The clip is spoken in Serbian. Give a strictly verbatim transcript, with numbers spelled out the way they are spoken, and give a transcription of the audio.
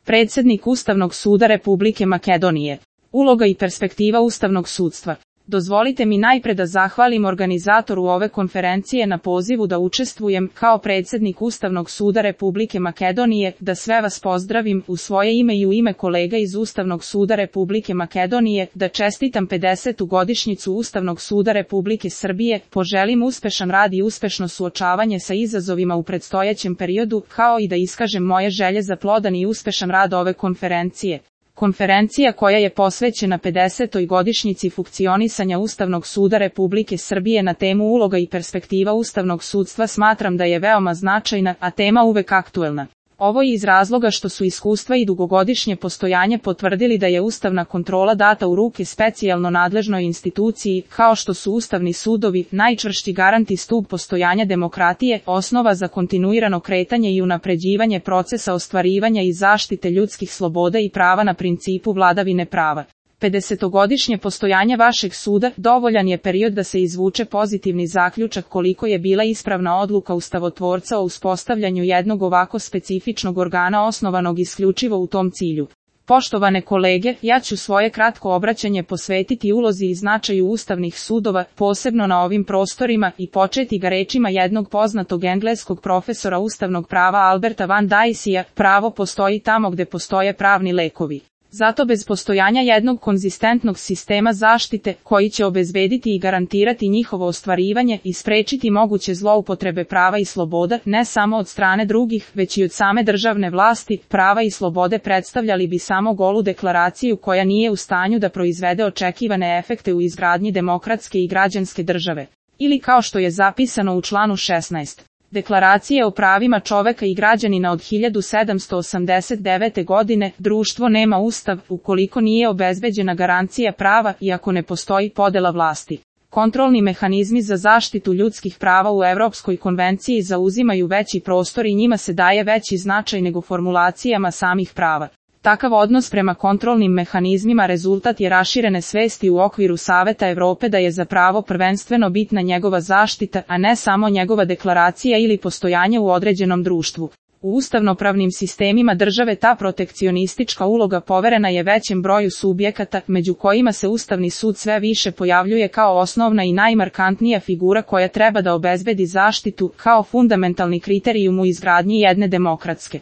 Predsjednik Ustavnog suda Republike Makedonije. Uloga i perspektiva ustavnog sudstva. Dozvolite mi najpre da zahvalim organizatoru ove konferencije na pozivu da učestvujem kao predsjednik Ustavnog suda Republike Makedonije, da sve vas pozdravim u svoje ime i u ime kolega iz Ustavnog suda Republike Makedonije, da čestitam pedesetu godišnjicu Ustavnog suda Republike Srbije, poželim uspešan rad i uspešno suočavanje sa izazovima u predstojećem periodu, kao i da iskažem moje želje za plodan i uspešan rad ove konferencije. Konferencija koja je posvećena pedesetoj godišnjici funkcionisanja Ustavnog suda Republike Srbije na temu uloga i perspektiva ustavnog sudstva smatram da je veoma značajna, a tema uvek aktuelna. Ovo je iz razloga što su iskustva i dugogodišnje postojanje potvrdili da je ustavna kontrola data u ruke specijalno nadležnoj instituciji, kao što su ustavni sudovi, najčvršći garant i stub postojanja demokratije, osnova za kontinuirano kretanje i unapređivanje procesa ostvarivanja i zaštite ljudskih sloboda i prava na principu vladavine prava. pedesetogodišnje postojanje vašeg suda dovoljan je period da se izvuče pozitivni zaključak koliko je bila ispravna odluka ustavotvorca o uspostavljanju jednog ovako specifičnog organa osnovanog isključivo u tom cilju. Poštovane kolege, ja ću svoje kratko obraćanje posvetiti ulozi i značaju ustavnih sudova, posebno na ovim prostorima, i početi ga rečima jednog poznatog engleskog profesora ustavnog prava Alberta Van Dicea: pravo postoji tamo gde postoje pravni lekovi. Zato bez postojanja jednog konzistentnog sistema zaštite, koji će obezbediti i garantirati njihovo ostvarivanje i sprečiti moguće zloupotrebe prava i sloboda, ne samo od strane drugih, već i od same državne vlasti, prava i slobode predstavljali bi samo golu deklaraciju koja nije u stanju da proizvede očekivane efekte u izgradnji demokratske i građanske države. Ili kao što je zapisano u članu šesnaest. Deklaracije o pravima čoveka i građanina od hiljadu sedamsto osamdeset devete. godine, društvo nema ustav ukoliko nije obezbeđena garancija prava i ako ne postoji podela vlasti. Kontrolni mehanizmi za zaštitu ljudskih prava u Evropskoj konvenciji zauzimaju veći prostor i njima se daje veći značaj nego formulacijama samih prava. Takav odnos prema kontrolnim mehanizmima rezultat je raširene svesti u okviru Saveta Evrope da je za pravo prvenstveno bitna njegova zaštita, a ne samo njegova deklaracija ili postojanje u određenom društvu. U ustavnopravnim sistemima države ta protekcionistička uloga poverena je većem broju subjekata, među kojima se Ustavni sud sve više pojavljuje kao osnovna i najmarkantnija figura koja treba da obezbedi zaštitu, kao fundamentalni kriterijum u izgradnji jedne demokratske